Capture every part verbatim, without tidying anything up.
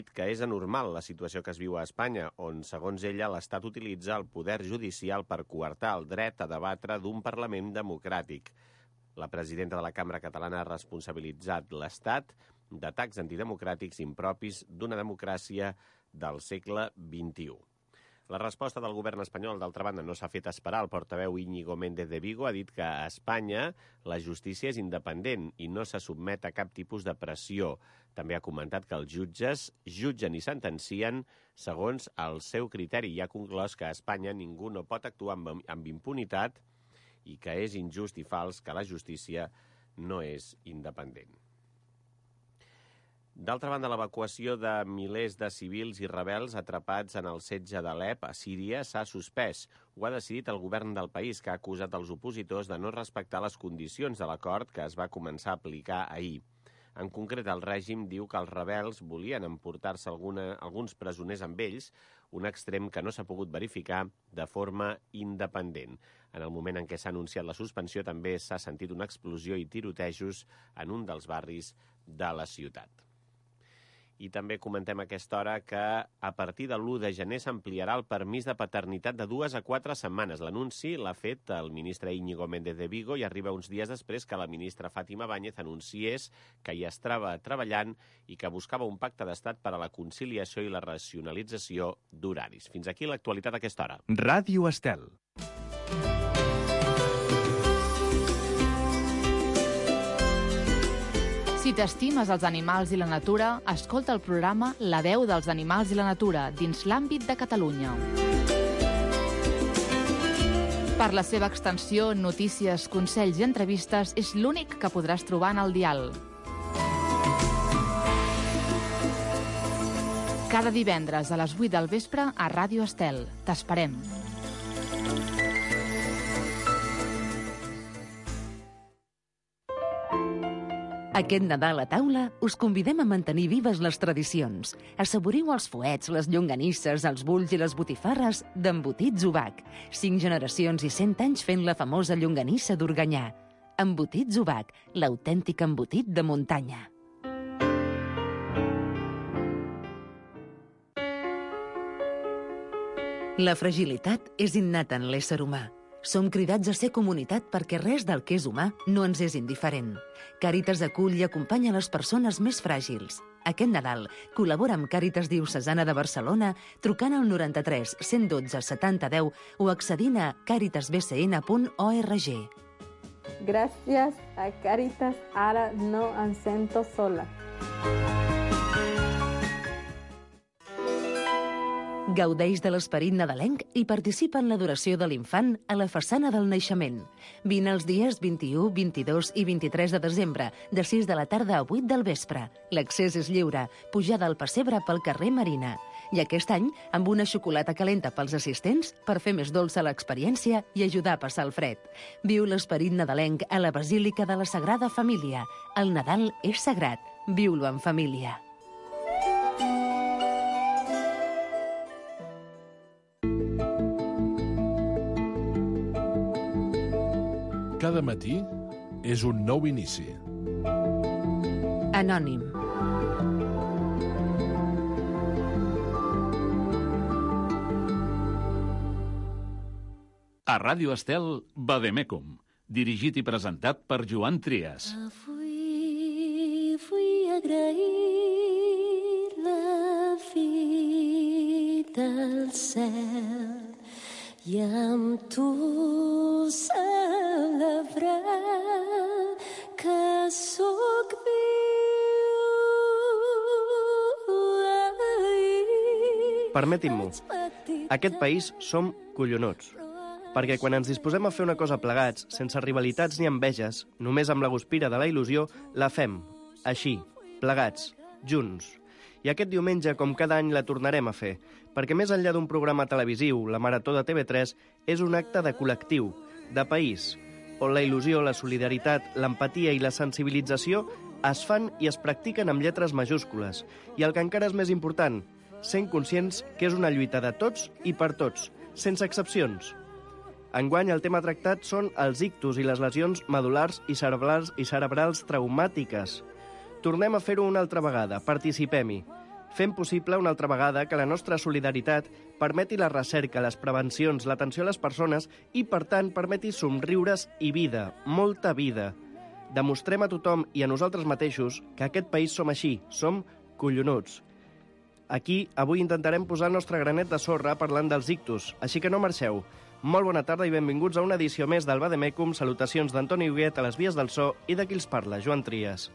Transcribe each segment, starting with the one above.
dit que és anormal la situació que es viu a Espanya, on, segons ella, l'Estat utilitza el poder judicial per coartar el dret a debatre d'un Parlament democràtic. La presidenta de la Cambra Catalana ha responsabilitzat l'Estat d'atacs antidemocràtics impropis d'una democràcia del segle vint-i-u. La resposta del govern espanyol, d'altra banda, no s'ha fet esperar. El portaveu Íñigo Méndez de Vigo ha dit que a Espanya la justícia és independent i no se sotmet a cap tipus de pressió. També ha comentat que els jutges jutgen i sentencien segons el seu criteri i ha conclòs que a Espanya ningú no pot actuar amb, amb impunitat i que és injust i fals que la justícia no és independent. D'altra banda, l'evacuació de milers de civils i rebels atrapats en el setge d'Alep, a Síria, s'ha suspès. Ho ha decidit el govern del país, que ha acusat els opositors de no respectar les condicions de l'acord que es va començar a aplicar ahir. En concret, el règim diu que els rebels volien emportar-se alguna, alguns presoners amb ells, un extrem que no s'ha pogut verificar de forma independent. En el moment en què s'ha anunciat la suspensió, també s'ha sentit una explosió i tirotejos en un dels barris de la ciutat. I també comentem a aquesta hora que a partir de l'u de gener s'ampliarà el permís de paternitat de dues a quatre setmanes. L'anunci l'ha fet el ministre Íñigo Méndez de Vigo i arriba uns dies després que la ministra Fátima Báñez anunciés que hi estava treballant i que buscava un pacte d'estat per a la conciliació i la racionalització d'horaris. Fins aquí l'actualitat a aquesta hora. Ràdio Estel. Si t'estimes els animals i la natura, escolta el programa La veu dels animals i la natura dins l'àmbit de Catalunya. Per la seva extensió, notícies, consells i entrevistes és l'únic que podràs trobar en el dial. Cada divendres a les vuit del vespre a Ràdio Estel. T'esperem. Aquest Nadal a taula us convidem a mantenir vives les tradicions. Assaboriu els fuets, les llonganisses, els bulls i les botifarres d'Embotits Ubac. Cinc generacions i cent anys fent la famosa llonganissa d'Organyà. Embotits Ubac, l'autèntic embotit de muntanya. La fragilitat és innata en l'ésser humà. Som cridats a ser comunitat perquè res del que és humà no ens és indiferent. Càritas acull i acompanya les persones més fràgils. Aquest Nadal col·labora amb Càritas Diocesana de Barcelona trucant al noranta-tres cent dotze setanta deu o accedint a càritas b c n punt org. Gràcies a Càritas, ara no em sento sola. Gaudeix de l'esperit nadalenc i participa en l'adoració de l'infant a la façana del naixement. Vine els dies vint-i-u, vint-i-dos i vint-i-tres de desembre, de sis de la tarda a vuit del vespre. L'accés és lliure, pujada al pessebre pel carrer Marina. I aquest any, amb una xocolata calenta pels assistents per fer més dolça l'experiència i ajudar a passar el fred. Viu l'esperit nadalenc a la Basílica de la Sagrada Família. El Nadal és sagrat. Viu-lo en família. Cada matí és un nou inici. Anònim. A Ràdio Estel, Vademecum, dirigit i presentat per Joan Trias. Avui vull agrair la vida al cel i amb tu celebrar que sóc viu. Permetin-m'ho, aquest país som collonuts. Perquè quan ens disposem a fer una cosa plegats, sense rivalitats ni enveges, només amb la guspira de la il·lusió, la fem. Així, plegats, junts. I aquest diumenge, com cada any, la tornarem a fer, perquè més enllà d'un programa televisiu, la Marató de T V tres és un acte de col·lectiu, de país, on la il·lusió, la solidaritat, l'empatia i la sensibilització es fan i es practiquen amb lletres majúscules. I el que encara és més important, sent conscients que és una lluita de tots i per tots, sense excepcions. Enguany, el tema tractat són els ictus i les lesions medul·lars i cerebrals i cerebrals traumàtiques. Tornem a fer-ho una altra vegada, participem-hi. fent possible una altra vegada que la nostra solidaritat permeti la recerca, les prevencions, l'atenció a les persones i, per tant, permeti somriures i vida, molta vida. Demostrem a tothom i a nosaltres mateixos que aquest país som així, som collonuts. Aquí, avui intentarem posar el nostre granet de sorra parlant dels ictus, així que no marxeu. Molt bona tarda i benvinguts a una edició més del Vademecum. Salutacions d'Antoni Huguet a les vies del so i de qui els parla, Joan Trias.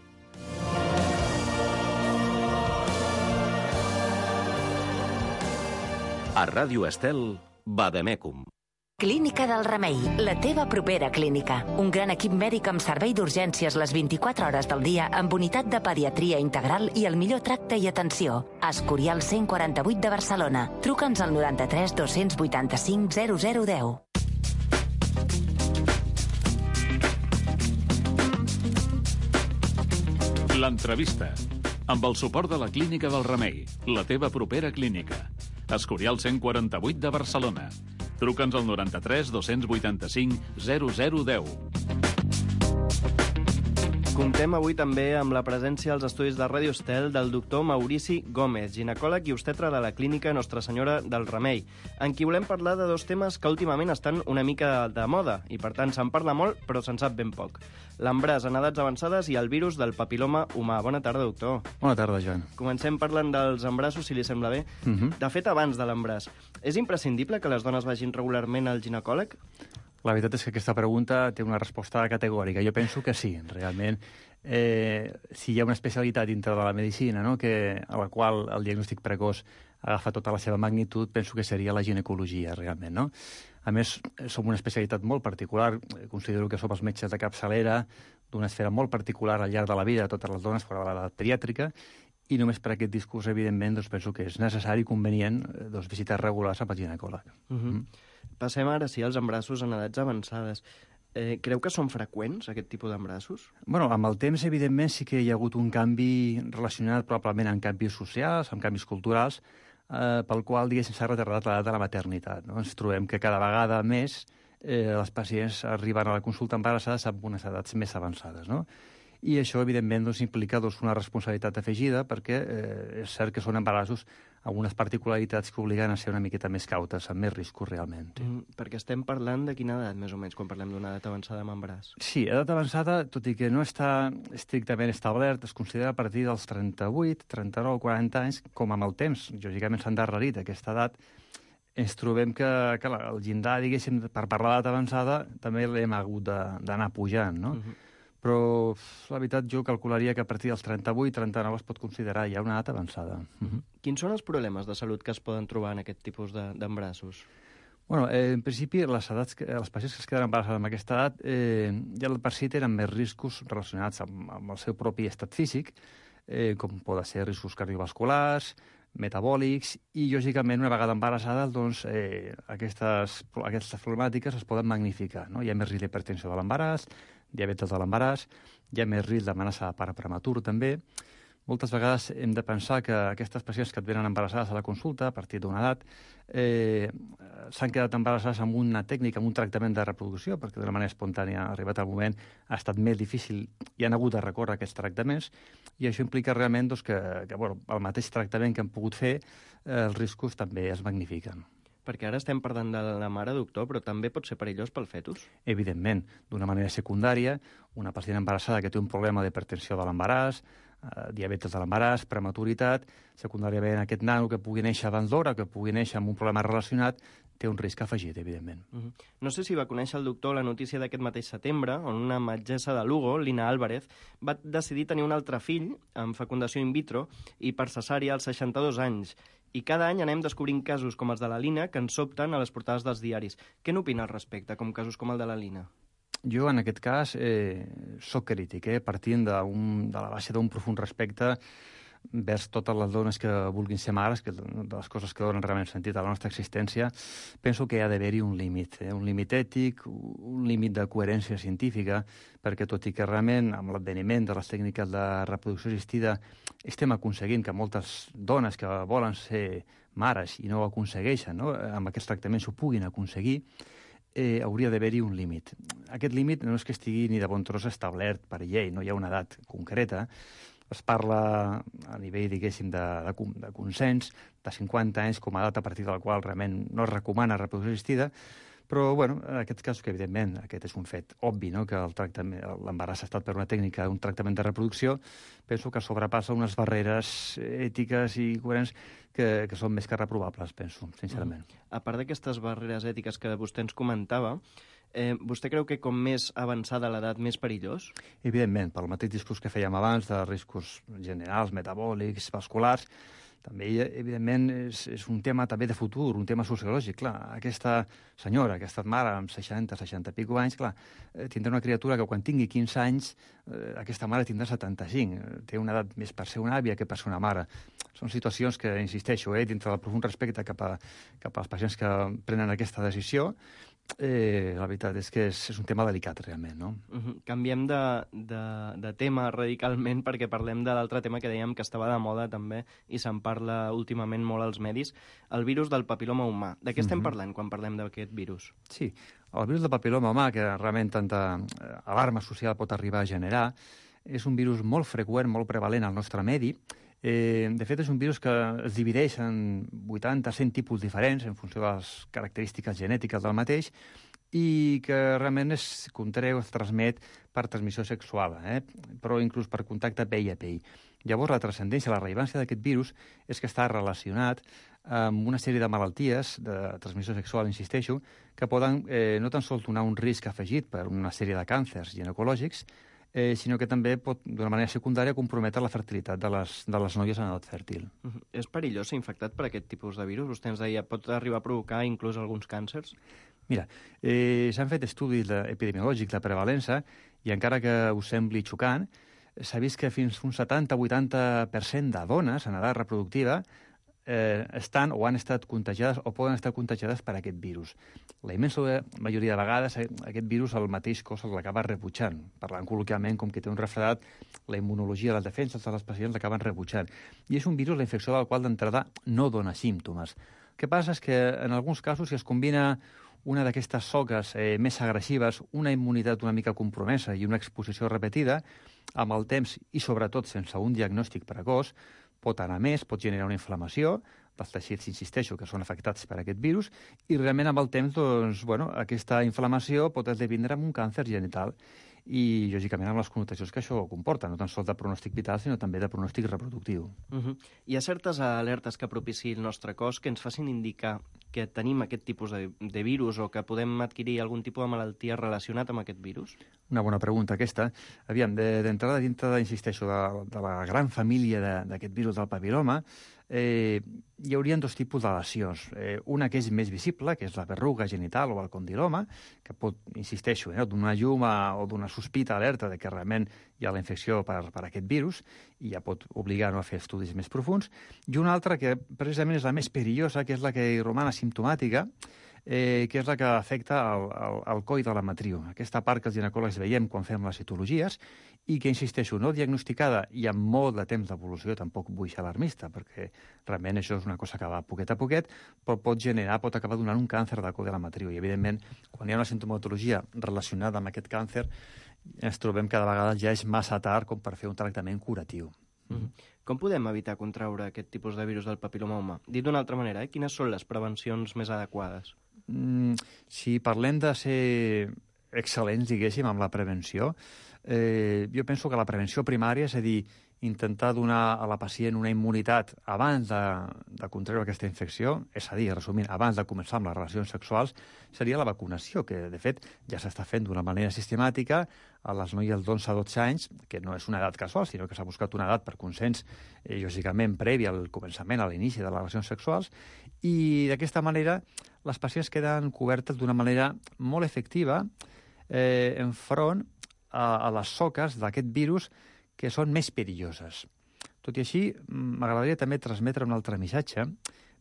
A Ràdio Estel, Vademecum. Clínica del Remei, la teva propera clínica. Un gran equip mèdic amb servei d'urgències les vint-i-quatre hores del dia amb unitat de pediatria integral i el millor tracte i atenció. Escorial cent quaranta-vuit de Barcelona. Truca'ns al noranta-tres dos-cents vuitanta-cinc zero zero deu. L'entrevista. Amb el suport de la Clínica del Remei, la teva propera clínica. Escorial cent quaranta-vuit de Barcelona. Truca'ns al noranta-tres dos-cents vuitanta-cinc zero zero deu. Comptem avui també amb la presència als estudis de Ràdio Estel del doctor Maurici Gómez, ginecòleg i obstetra de la clínica Nostra Senyora del Remei, en qui volem parlar de dos temes que últimament estan una mica de moda i, per tant, se'n parla molt, però se'n sap ben poc. L'embràs en edats avançades i el virus del papiloma humà. Bona tarda, doctor. Bona tarda, Joan. Comencem parlant dels embrassos, si li sembla bé. Uh -huh. De fet, abans de l'embràs, és imprescindible que les dones vagin regularment al ginecòleg? La veritat és que aquesta pregunta té una resposta categòrica. Jo penso que sí, realment. Eh, si hi ha una especialitat dintre de la medicina, no?, que, a la qual el diagnòstic precoç agafa tota la seva magnitud, penso que seria la ginecologia, realment, no? A més, som una especialitat molt particular. Considero que som els metges de capçalera d'una esfera molt particular al llarg de la vida de totes les dones fora de l'edat pediàtrica, i només per aquest discurs, evidentment, doncs, penso que és necessari i convenient doncs, visitar regulars amb el ginecòleg. Uh -huh. mm. Passem ara, sí, als embrassos en edats avançades. Eh, creu que són freqüents, aquest tipus d'embrassos? Bueno, amb el temps, evidentment, sí que hi ha hagut un canvi relacionat probablement amb canvis socials, amb canvis culturals, eh, pel qual, diguéssim, s'ha retardat l'edat de la maternitat. No? Ens trobem que cada vegada més eh, els pacients arriben a la consulta embarassades amb unes edats més avançades, no? I això, evidentment, doncs, implica doncs, una responsabilitat afegida perquè eh, és cert que són embarassos amb unes particularitats que obliguen a ser una miqueta més cautes, amb més riscos realment. Mm, perquè estem parlant de quina edat, més o menys, quan parlem d'una edat avançada amb embaràs? Sí, edat avançada, tot i que no està estrictament establert, es considera a partir dels trenta-vuit, trenta-nou, quaranta anys, com amb el temps. Lògicament s'ha endarrerit aquesta edat. Ens trobem que, que el llindar, diguéssim, per parlar d'edat avançada, també l'hem hagut d'anar pujant, no? Uh-huh. Però la veritat jo calcularia que a partir dels trenta-vuit trenta-nou es pot considerar ja una edat avançada. Uh-huh. Quins són els problemes de salut que es poden trobar en aquest tipus d'embrassos? Bueno, eh, en principi, les edats que, els pacients que es queden embarassats amb aquesta edat eh, ja per si tenen més riscos relacionats amb, amb el seu propi estat físic, eh, com poden ser riscos cardiovasculars, metabòlics, i, lògicament, una vegada embarassades, doncs, eh, aquestes, aquestes problemàtiques es poden magnificar, no? Hi ha més risc d'hipertensió de l'embaràs, diabetes de l'embaràs, hi ha més risc d'amenaça de pare prematur, també. Moltes vegades hem de pensar que aquestes pacients que et venen embarassades a la consulta, a partir d'una edat, eh, s'han quedat embarassades amb una tècnica, amb un tractament de reproducció, perquè d'una manera espontània, arribat al moment, ha estat més difícil i han hagut de recórrer aquests tractaments, i això implica realment doncs, que, que bueno, el mateix tractament que han pogut fer, eh, els riscos també es magnifiquen. Perquè ara estem parlant de la mare, doctor, però també pot ser perillós pel fetus? Evidentment. D'una manera secundària, una pacient embarassada que té un problema d'hipertensió de l'embaràs, eh, diabetes de l'embaràs, prematuritat, secundàriament aquest nano que pugui néixer abans d'hora, que pugui néixer amb un problema relacionat, té un risc afegit, evidentment. Uh-huh. No sé si va conèixer el doctor la notícia d'aquest mateix setembre, on una metgessa de Lugo, Lina Álvarez, va decidir tenir un altre fill amb fecundació in vitro i per cesària als seixanta-dos anys. I cada any anem descobrint casos com els de la Lina que ens sobten a les portades dels diaris. Què n'opina al respecte, com casos com el de la Lina? Jo, en aquest cas, eh, soc crític, eh, partint de, un, de la base d'un profund respecte vers totes les dones que vulguin ser mares, que de les coses que donen realment sentit a la nostra existència, penso que hi ha d'haver-hi un límit, eh? un límit ètic, un límit de coherència científica, perquè tot i que realment amb l'adveniment de les tècniques de reproducció assistida estem aconseguint que moltes dones que volen ser mares i no ho aconsegueixen, no? amb aquests tractaments ho puguin aconseguir, eh, hauria d'haver-hi un límit. Aquest límit no és que estigui ni de bon tros establert per llei, no hi ha una edat concreta. es parla a nivell, diguéssim, de, de, de consens, de cinquanta anys com a data a partir del qual realment no es recomana reproducció assistida, però, bueno, en aquest cas, que evidentment aquest és un fet obvi, no?, que l'embaràs ha estat per una tècnica, un tractament de reproducció, penso que sobrepassa unes barreres ètiques i coherents que, que són més que reprovables, penso, sincerament. Mm. A part d'aquestes barreres ètiques que vostè ens comentava, eh, vostè creu que com més avançada l'edat, més perillós? Evidentment, pel mateix discurs que fèiem abans, de riscos generals, metabòlics, vasculars, també, evidentment, és, és un tema també de futur, un tema sociològic. Clar, aquesta senyora, que ha estat mare amb seixanta, seixanta i pico anys, clar, tindrà una criatura que quan tingui quinze anys, eh, aquesta mare tindrà setanta-cinc. Té una edat més per ser una àvia que per ser una mare. Són situacions que, insisteixo, eh, dintre del profund respecte cap a, cap als pacients que prenen aquesta decisió, Eh, la veritat és que és, és un tema delicat, realment, no? Uh-huh. Canviem de, de, de tema radicalment perquè parlem de l'altre tema que dèiem que estava de moda també i se'n parla últimament molt als medis, el virus del papiloma humà. De què estem uh-huh. parlant quan parlem d'aquest virus? Sí, el virus del papiloma humà, que realment tanta alarma social pot arribar a generar, és un virus molt freqüent, molt prevalent al nostre medi. Eh, de fet, és un virus que es divideix en vuitanta a cent tipus diferents en funció de les característiques genètiques del mateix i que realment es contreu, es transmet per transmissió sexual, eh? però inclús per contacte pell a pell. Llavors, la transcendència, la rellevància d'aquest virus és que està relacionat amb una sèrie de malalties de transmissió sexual, insisteixo, que poden eh, no tan sols donar un risc afegit per una sèrie de càncers ginecològics, Eh, sinó que també pot, d'una manera secundària, comprometre la fertilitat de les, de les noies en edat fèrtil. Uh-huh. És perillós ser infectat per aquest tipus de virus? Vostè ens deia, pot arribar a provocar inclús alguns càncers? Mira, eh, s'han fet estudis epidemiològics de prevalença i encara que us sembli xocant, s'ha vist que fins un setanta a vuitanta per cent de dones en edat reproductiva eh, estan o han estat contagiades o poden estar contagiades per aquest virus. La immensa majoria de vegades aquest virus el mateix cos l'acaba rebutjant. Parlant col·loquialment, com que té un refredat, la immunologia, les defenses de les pacients l'acaben rebutjant. I és un virus, la infecció del qual d'entrada no dona símptomes. El que passa és que en alguns casos, si es combina una d'aquestes soques eh, més agressives, una immunitat una mica compromesa i una exposició repetida, amb el temps i sobretot sense un diagnòstic precoç, pot anar més, pot generar una inflamació dels teixits, insisteixo, que són afectats per aquest virus, i realment amb el temps, doncs, bueno, aquesta inflamació pot esdevindre en un càncer genital i, lògicament, amb les connotacions que això comporta, no tan sols de pronòstic vital, sinó també de pronòstic reproductiu. Uh-huh. Hi ha certes alertes que propiciï el nostre cos que ens facin indicar que tenim aquest tipus de, de virus o que podem adquirir algun tipus de malaltia relacionat amb aquest virus? Una bona pregunta, aquesta. Aviam, d'entrada, de, dintre, insisteixo, de, de la gran família d'aquest virus del papiloma, eh, hi haurien dos tipus de lesions. Eh, una que és més visible, que és la verruga genital o el condiloma, que pot, insisteixo, eh, donar llum a, o donar sospita alerta de que realment hi ha la infecció per, per aquest virus i ja pot obligar no, a fer estudis més profunds. I una altra que precisament és la més perillosa, que és la que roman asimptomàtica, eh, que és la que afecta el, el, el coll de la matriu. Aquesta part que els ginecòlegs veiem quan fem les citologies i que, insisteixo, no diagnosticada i amb molt de temps d'evolució, tampoc vull ser alarmista, perquè realment això és una cosa que va poquet a poquet, però pot generar, pot acabar donant un càncer del coll de la matriu. I, evidentment, quan hi ha una sintomatologia relacionada amb aquest càncer, ens trobem que de vegades ja és massa tard com per fer un tractament curatiu. Mm-hmm. Com podem evitar contraure aquest tipus de virus del papiloma humà? Dit d'una altra manera, eh? Quines són les prevencions més adequades? Mm, si parlem de ser excel·lents, diguéssim, amb la prevenció, eh, jo penso que la prevenció primària, és a dir, intentar donar a la pacient una immunitat abans de, de contraure aquesta infecció, és a dir, resumint, abans de començar amb les relacions sexuals, seria la vacunació, que de fet ja s'està fent d'una manera sistemàtica a les noies d'onze a dotze anys, que no és una edat casual, sinó que s'ha buscat una edat per consens, eh, lògicament, previ al començament, a l'inici de les relacions sexuals, i d'aquesta manera les pacients queden cobertes d'una manera molt efectiva eh, enfront a, a les soques d'aquest virus que són més perilloses. Tot i així, m'agradaria també transmetre un altre missatge,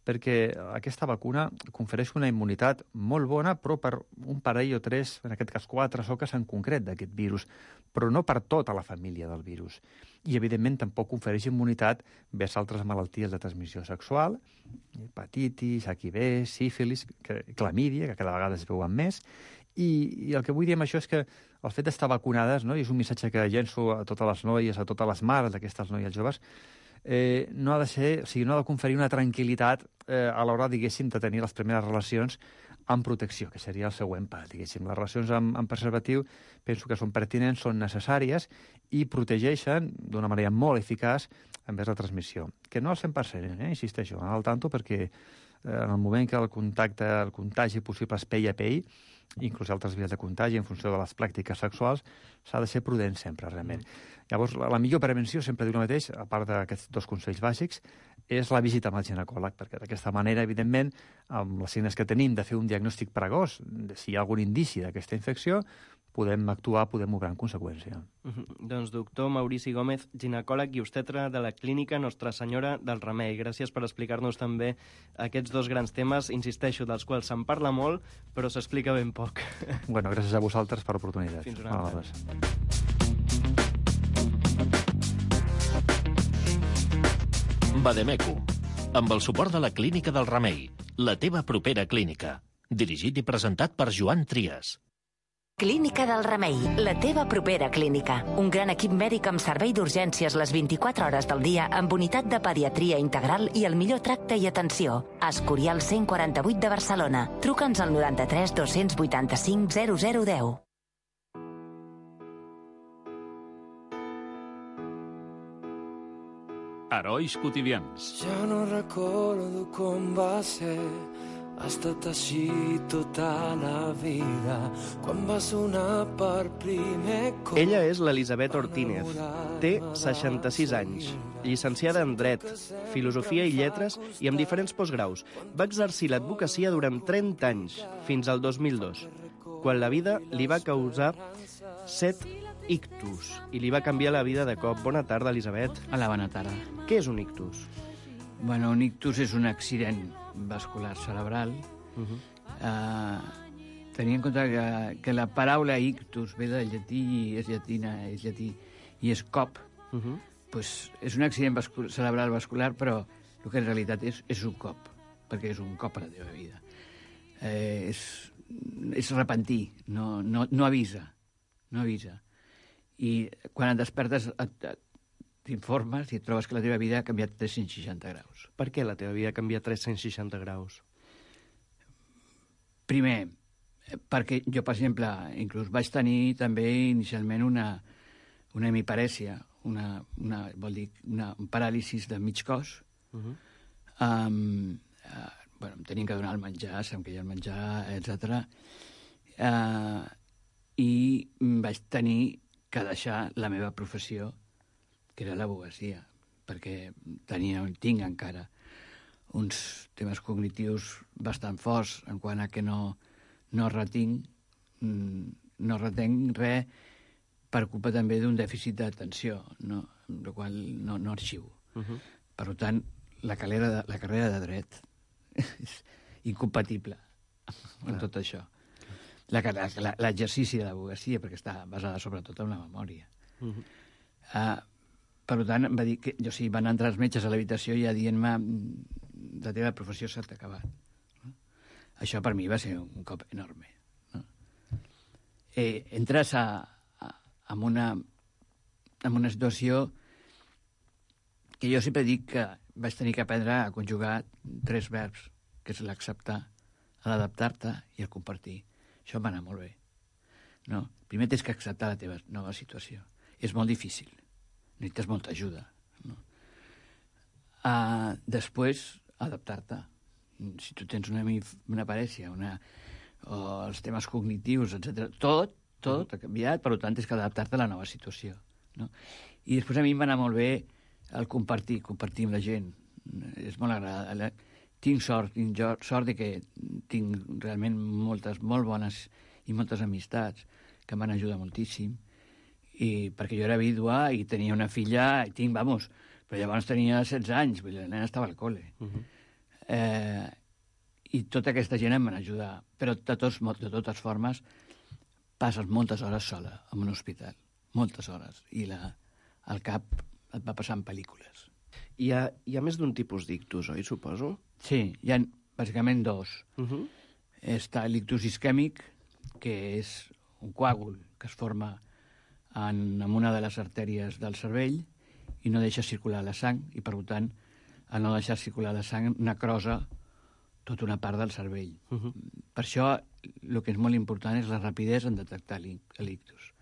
perquè aquesta vacuna confereix una immunitat molt bona, però per un parell o tres, en aquest cas quatre soques en concret d'aquest virus, però no per tota la família del virus. I, evidentment, tampoc confereix immunitat vers altres malalties de transmissió sexual, hepatitis, H I V, sífilis, clamídia, que cada vegada es veuen més, I, I el que vull dir amb això és que el fet d'estar vacunades, no? I és un missatge que llenço a totes les noies, a totes les mares d'aquestes noies joves, eh, no ha de ser, o sigui, no ha de conferir una tranquil·litat eh, a l'hora, diguéssim, de tenir les primeres relacions amb protecció, que seria el següent pas, diguéssim. Les relacions amb, amb preservatiu penso que són pertinents, són necessàries i protegeixen d'una manera molt eficaç envers la transmissió. Que no al cent per cent, eh? Insisteixo, al tanto, perquè eh, en el moment que el contacte, el contagi possible és pell a pell, inclús altres vies de contagi en funció de les pràctiques sexuals, s'ha de ser prudent sempre, realment. Mm. Llavors, la, la millor prevenció, sempre diu el mateix, a part d'aquests dos consells bàsics, és la visita amb el ginecòleg, perquè d'aquesta manera, evidentment, amb les signes que tenim de fer un diagnòstic pregós, de si hi ha algun indici d'aquesta infecció, podem actuar, podem obrar en conseqüència. Mm-hmm. Doncs doctor Maurici Gómez, ginecòleg i obstetra de la clínica Nostra Senyora del Remei. Gràcies per explicar-nos també aquests dos grans temes, insisteixo, dels quals se'n parla molt, però s'explica ben poc. Bueno, gràcies a vosaltres per l'oportunitat. Fins una altra. Bademecum, amb el suport de la Clínica del Remei, la teva propera clínica. Dirigit i presentat per Joan Trias. Clínica del Remei, la teva propera clínica. Un gran equip mèdic amb servei d'urgències les vint-i-quatre hores del dia amb unitat de pediatria integral i el millor tracte i atenció. Escorial cent quaranta-vuit de Barcelona. Truca'ns al noranta-tres dos-cents vuitanta-cinc zero zero deu. Herois quotidians. Ja no recordo com va ser. Ha estat així tota la vida, quan va sonar per primer cop. Ella és l'Elisabet Ortínez. Té seixanta-sis anys, llicenciada en Dret, Filosofia i Lletres i amb diferents postgraus. Va exercir l'advocacia durant trenta anys, fins al dos mil dos, quan la vida li va causar set ictus i li va canviar la vida de cop. Bona tarda, Elisabet. Hola, bona tarda. Què és un ictus? Bueno, un ictus és un accident vascular cerebral. Uh-huh. uh, Tenint en compte que, que la paraula ictus ve del llatí, és llatina, és llatí, i és cop, uh-huh. Pues és un accident vascul cerebral vascular, però el que en realitat és, és un cop, perquè és un cop a la teva vida. Eh, és, és repentí, no, no, no avisa, no avisa. I quan et despertes et, et t'informes i et trobes que la teva vida ha canviat tres-cents seixanta graus. Per què la teva vida ha canviat tres-cents seixanta graus? Primer, perquè jo, per exemple, inclús vaig tenir també inicialment una, una hemiparèsia, una, una, vol dir, una, un paràlisis de mig cos. Uh-huh. um, uh, bueno, em tenien que donar el menjar, se'm queia el menjar, etcètera. Uh, I vaig tenir que deixar la meva professió, que era l'advocacia, perquè tenia, tinc encara uns temes cognitius bastant forts en quant a que no, no retinc, no retenc res per culpa també d'un dèficit d'atenció, no? Amb la qual no, no arxivo. Uh-huh. Per tant, la carrera de, la carrera de dret és incompatible amb uh-huh. tot això. L'exercici de l'advocacia, perquè està basada sobretot en la memòria. Uh-huh. Uh, per tant, va dir que, jo sí, van entrar els metges a l'habitació ja dient-me la teva professió s'ha acabat. No? Això per mi va ser un cop enorme. No? Eh, entres a, a, en, una, en una situació que jo sempre dic que vaig tenir que aprendre a conjugar tres verbs, que és l'acceptar, l'adaptar-te i el compartir. Això va anar molt bé. No? Primer tens que acceptar la teva nova situació. És molt difícil. Necessites molta ajuda. No? Uh, després, adaptar-te. Si tu tens una, una parèsia, una, o els temes cognitius, etcètera, tot, tot ha canviat, per tant, tens que adaptar-te a la nova situació. No? I després a mi em va anar molt bé el compartir, compartir amb la gent. És molt agradable. Tinc sort, tinc sort de que tinc realment moltes, molt bones i moltes amistats que m'han ajudat moltíssim. I perquè jo era vídua i tenia una filla, i tinc, vamos, però llavors tenia setze anys, vull dir, la nena estava al col·le. Uh-huh. eh, I tota aquesta gent em van ajudar. Però de, tots, de totes formes, passes moltes hores sola en un hospital. Moltes hores. I la, el cap et va passar en pel·lícules. Hi ha, hi ha més d'un tipus d'ictus, oi, suposo? Sí, hi ha bàsicament dos. Uh-huh. Està l'ictus isquèmic, que és un coàgul que es forma en, en una de les artèries del cervell i no deixa circular la sang, i per tant, al no deixar circular la sang, necrosa tota una part del cervell. Uh-huh. Per això, el que és molt important és la rapidesa en detectar l'ictus.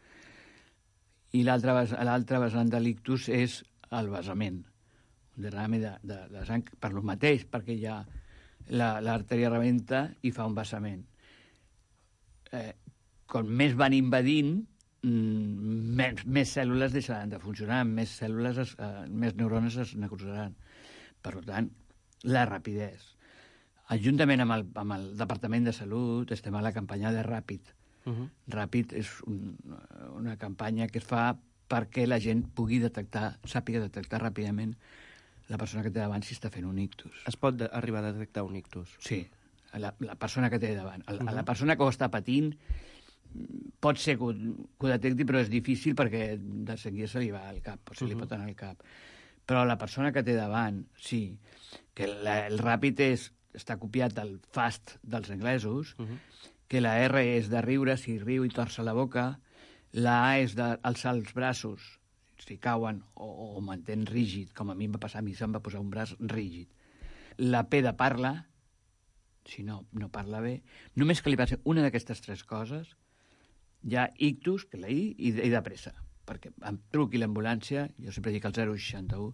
I l'altre vessant de l'ictus és el vessament, un derrame de, de, de sang per lo mateix, perquè ja l'artèria rebenta i fa un vessament. Eh, com més van invadint, més, més cèl·lules deixaran de funcionar, més cèl·lules, es, eh, més neurones es necrosaran. Per tant, la rapidesa. Juntament amb el, amb el Departament de Salut estem a la campanya de Ràpid. Uh-huh. Ràpid és un, una campanya que es fa perquè la gent pugui detectar, sàpiga detectar ràpidament la persona que té davant si està fent un ictus. Es pot de, arribar a detectar un ictus? Sí, la, la persona que té davant. El, uh-huh. La persona que ho està patint pot ser que ho, que ho detecti, però és difícil perquè de seguida se li va al cap, o se li uh-huh. pot anar al cap. Però la persona que té davant, sí, que la, el Ràpid és està copiat del fast dels anglesos, uh-huh. que la R és de riure, si riu i torça la boca, la A és d'alçar els braços, si cauen o, o mantén rígid, com a mi em va passar, a mi se'm va posar un braç rígid. La P de parla, si no, no parla bé, només que li passi una d'aquestes tres coses, hi ha ictus, que la I, i de, i de pressa, perquè em truqui l'ambulància, jo sempre dic el zero seixanta-u,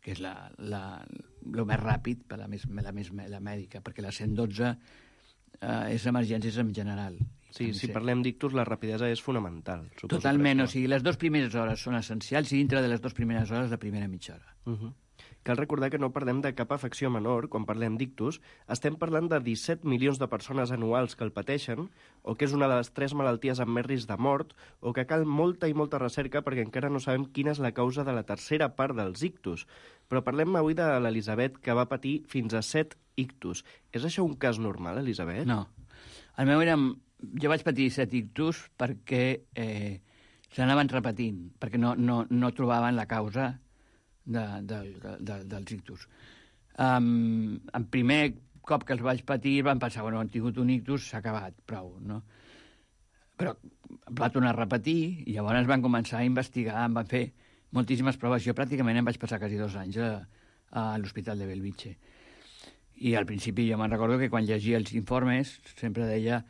que és la, la, el més ràpid per la, més, la, més, la mèdica, perquè la cent dotze eh, és emergències en general. Sí, si ser... parlem d'ictus, la rapidesa és fonamental. Totalment, o sigui, les dues primeres hores són essencials i dintre de les dues primeres hores, la primera mitja hora. Uh-huh. Cal recordar que no parlem de cap afecció menor quan parlem d'ictus, estem parlant de disset milions de persones anuals que el pateixen, o que és una de les tres malalties amb més risc de mort, o que cal molta i molta recerca perquè encara no sabem quina és la causa de la tercera part dels ictus. Però parlem avui de l'Elisabet, que va patir fins a set ictus. És això un cas normal, Elisabet? No. El meu era... Jo vaig patir set ictus perquè eh, s'anaven repetint, perquè no, no, no trobaven la causa de, de, de, de, dels ictus. Um, en primer cop que els vaig patir van pensar, bueno, han tingut un ictus, s'ha acabat, prou, no? Però va tornar a repetir i llavors van començar a investigar, em van fer moltíssimes proves. Jo pràcticament em vaig passar quasi dos anys a, a l'Hospital de Bellvitge. I al principi jo me'n recordo que quan llegia els informes sempre deia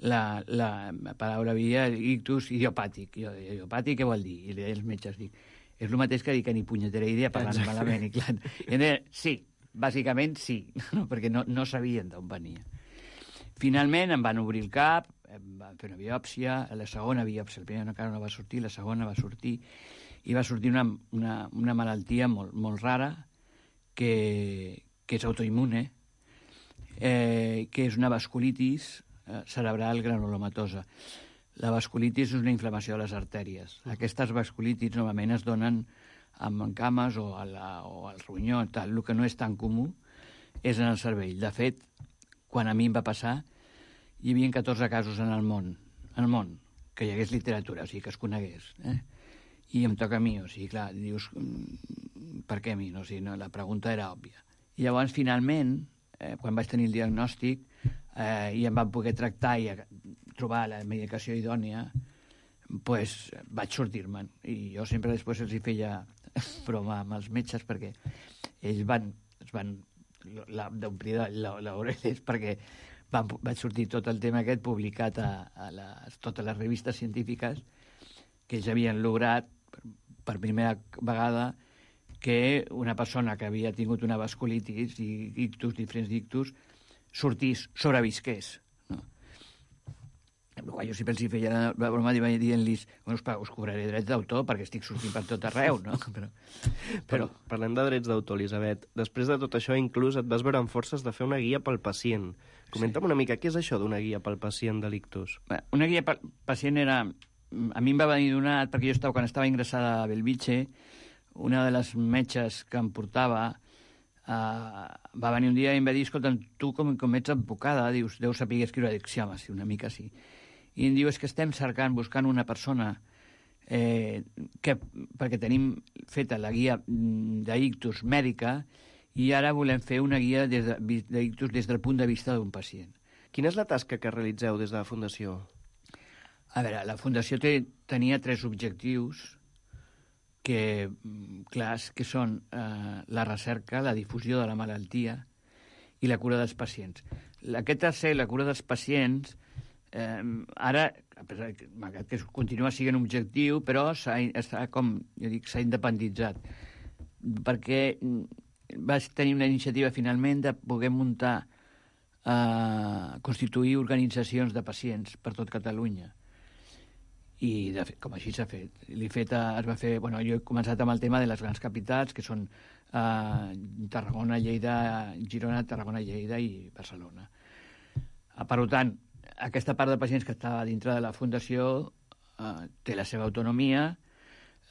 la, la paraula havia ictus idiopàtic. Jo deia, idiopàtic què vol dir? I li deia als metges, dic, és el mateix que dir que ni punyetera idea parlant Exacte. Malament. I clar, i deia, sí, bàsicament sí, no, perquè no, no sabien d'on venia. Finalment em van obrir el cap, em van fer una biòpsia, la segona biòpsia, la primera encara no va sortir, la segona va sortir, i va sortir una, una, una malaltia molt, molt rara, que, que és autoimmune, eh, que és una vasculitis eh, cerebral granulomatosa. La vasculitis és una inflamació de les artèries. Uh-huh. Aquestes vasculitis normalment es donen amb cames o, a la, o al ronyó, tal. El que no és tan comú és en el cervell. De fet, quan a mi em va passar, hi havia catorze casos en el món, en el món, que hi hagués literatura, o sigui, que es conegués. Eh? I em toca a mi, o sigui, clar, dius, per què a mi? No? O sigui, no, la pregunta era òbvia. I llavors, finalment, eh, quan vaig tenir el diagnòstic eh, i em van poder tractar i trobar la medicació idònia, pues, vaig sortir-me'n. I jo sempre després els hi feia broma amb els metges perquè ells van, es van d'omplir l'orelles perquè van, vaig sortir tot el tema aquest publicat a, a les, totes les revistes científiques que ells havien lograt per, per primera vegada que una persona que havia tingut una vasculitis i ictus, diferents ictus, sortís, sobrevisqués. No? Jo sempre els hi feia la broma dient-los, bueno, us cobraré drets d'autor perquè estic sortint per tot arreu, no? Però, però... Parlem de drets d'autor, Elisabet. Després de tot això, inclús et vas veure amb forces de fer una guia pel pacient. Comenta'm sí. una mica, què és això d'una guia pel pacient de l'ictus? Una guia pel pacient era... A mi em va venir donat, perquè jo estava, quan estava ingressada a Bellvitge, una de les metges que em portava uh, va venir un dia i em va dir, escolta, tu com, com ets advocada, dius, deus saber escriure, dic, sí, home, sí, una mica sí. I em diu, és que estem cercant, buscant una persona eh, que, perquè tenim feta la guia d'ictus mèdica i ara volem fer una guia d'ictus des, de, des del punt de vista d'un pacient. Quina és la tasca que realitzeu des de la Fundació? A veure, la Fundació té, tenia tres objectius que, clars, que són eh, la recerca, la difusió de la malaltia i la cura dels pacients. Aquest tercer, la cura dels pacients, eh, ara, malgrat que continua sent un objectiu, però s'ha, com jo dic, s'ha independitzat, perquè va tenir una iniciativa finalment de poder muntar, eh, constituir organitzacions de pacients per tot Catalunya. I, de fet, com així s'ha fet. L'he fet a, es va fer, bueno, jo he començat amb el tema de les grans capitals, que són eh, Tarragona, Lleida, Girona, Tarragona, Lleida i Barcelona. Eh, per tant, aquesta part de pacients que estava dintre de la Fundació eh, té la seva autonomia,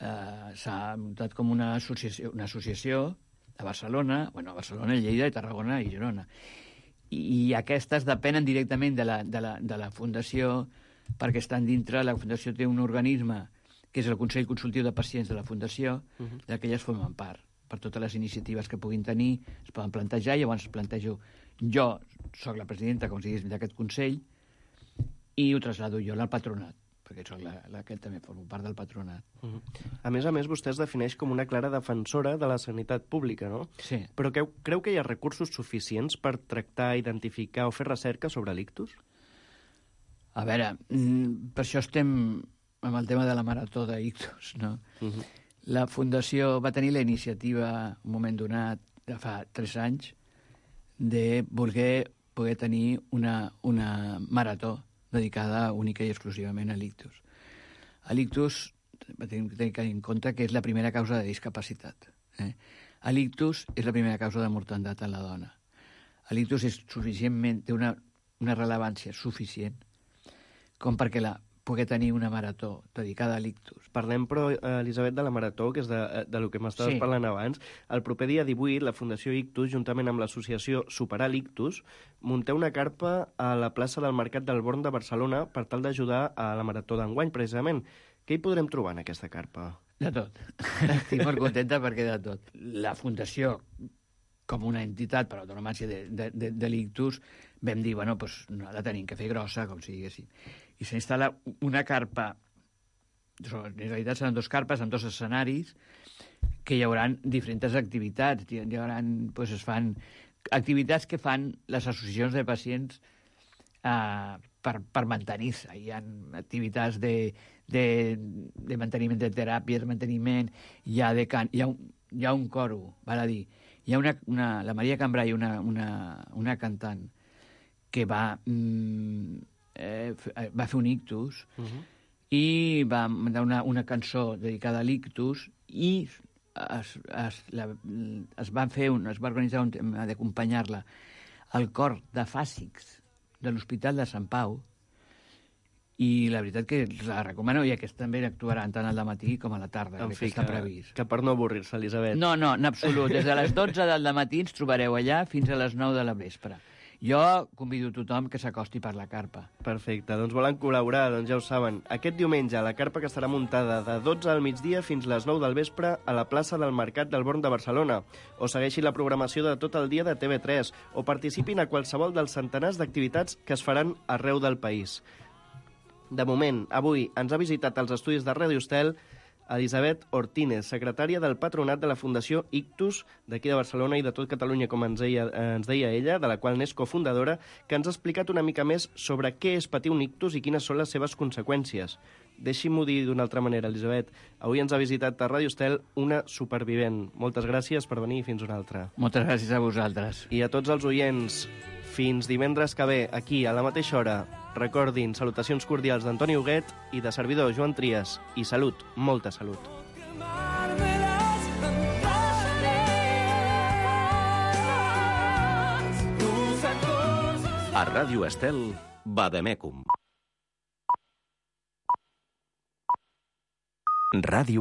eh, s'ha muntat com una associació, una associació a Barcelona, bueno, a Barcelona, Lleida, Tarragona i Girona. I, i aquestes depenen directament de la, de la, de la Fundació, perquè estan dintre, la Fundació té un organisme que és el Consell Consultiu de Pacients de la Fundació, uh -huh. de què elles formen part. Per totes les iniciatives que puguin tenir es poden plantejar, i llavors plantejo, jo soc la presidenta, com si digués, d'aquest Consell, i ho trasllado jo al patronat, perquè soc la, la que també formo part del patronat. Uh -huh. A més a més, vostè es defineix com una clara defensora de la sanitat pública, no? Sí. Però creu, creu que hi ha recursos suficients per tractar, identificar o fer recerca sobre l'ictus? A veure, per això estem amb el tema de la marató d'ictus, no? Uh-huh. La Fundació va tenir la iniciativa, un moment donat, de fa tres anys, de voler poder tenir una, una marató dedicada única i exclusivament a l'ictus. L'ictus, tenim que tenir en compte que és la primera causa de discapacitat. Eh? L'ictus és la primera causa de mortalitat en la dona. L'ictus és suficientment, té una, una rellevància suficient com perquè la pugui tenir una marató dedicada a l'ictus. Parlem, però, Elisabet, de la marató, que és de, de lo que m'estaves sí. parlant abans. El proper dia divuit, la Fundació Ictus, juntament amb l'associació Superar l'Ictus, munteu una carpa a la plaça del Mercat del Born de Barcelona per tal d'ajudar a la marató d'enguany, precisament. Què hi podrem trobar en aquesta carpa? De tot. Estic molt contenta perquè de tot. La Fundació, com una entitat per autonomàcia de, de, de, de l'ictus, vam dir, bueno, doncs no la tenim que fer grossa, com si diguéssim. I s'instal·la una carpa, en realitat seran dos carpes amb dos escenaris, que hi haurà diferents activitats. Hi haurà, doncs es fan activitats que fan les associacions de pacients eh, per, per mantenir-se. Hi ha activitats de, de, de manteniment de teràpia, de manteniment, hi ha, de can, hi ha, un, hi ha un coro, val a dir, hi ha una, una, la Maria Cambrai, una, una, una cantant, que va, mm, eh, va fer un ictus uh-huh. i va mandar una, una cançó dedicada a l'ictus i es, es, la, es, va fer un, es va organitzar un tema d'acompanyar-la al cor de fàsics de l'Hospital de Sant Pau, i la veritat que la recomano, i aquest també actuaran tant al dematí com a la tarda, en que fi, està previst. Que per no avorrir-se, Elisabet. No, no, en absolut. Des de les dotze del dematí ens trobareu allà fins a les nou de la vespre. Jo convido tothom que s'acosti per la carpa. Perfecte, doncs volen col·laborar, doncs ja ho saben. Aquest diumenge, la carpa que estarà muntada de dotze al migdia fins les nou del vespre a la plaça del Mercat del Born de Barcelona. O segueixi la programació de tot el dia de T V tres, o participin a qualsevol dels centenars d'activitats que es faran arreu del país. De moment, avui ens ha visitat als estudis de Ràdio Estel Elisabet Ortínez, secretària del Patronat de la Fundació Ictus d'aquí de Barcelona i de tot Catalunya, com ens deia, eh, ens deia ella, de la qual n'és cofundadora, que ens ha explicat una mica més sobre què és patir un ictus i quines són les seves conseqüències. Deixi'm-ho dir d'una altra manera, Elisabet. Avui ens ha visitat a Ràdio Estel una supervivent. Moltes gràcies per venir i fins una altra. Moltes gràcies a vosaltres. I a tots els oients, fins divendres que ve, aquí, a la mateixa hora. Recordin, salutacions cordials d'Antoni Huguet i de servidor Joan Trias. I salut, molta salut. A Ràdio Estel, Vademecum. Ràdio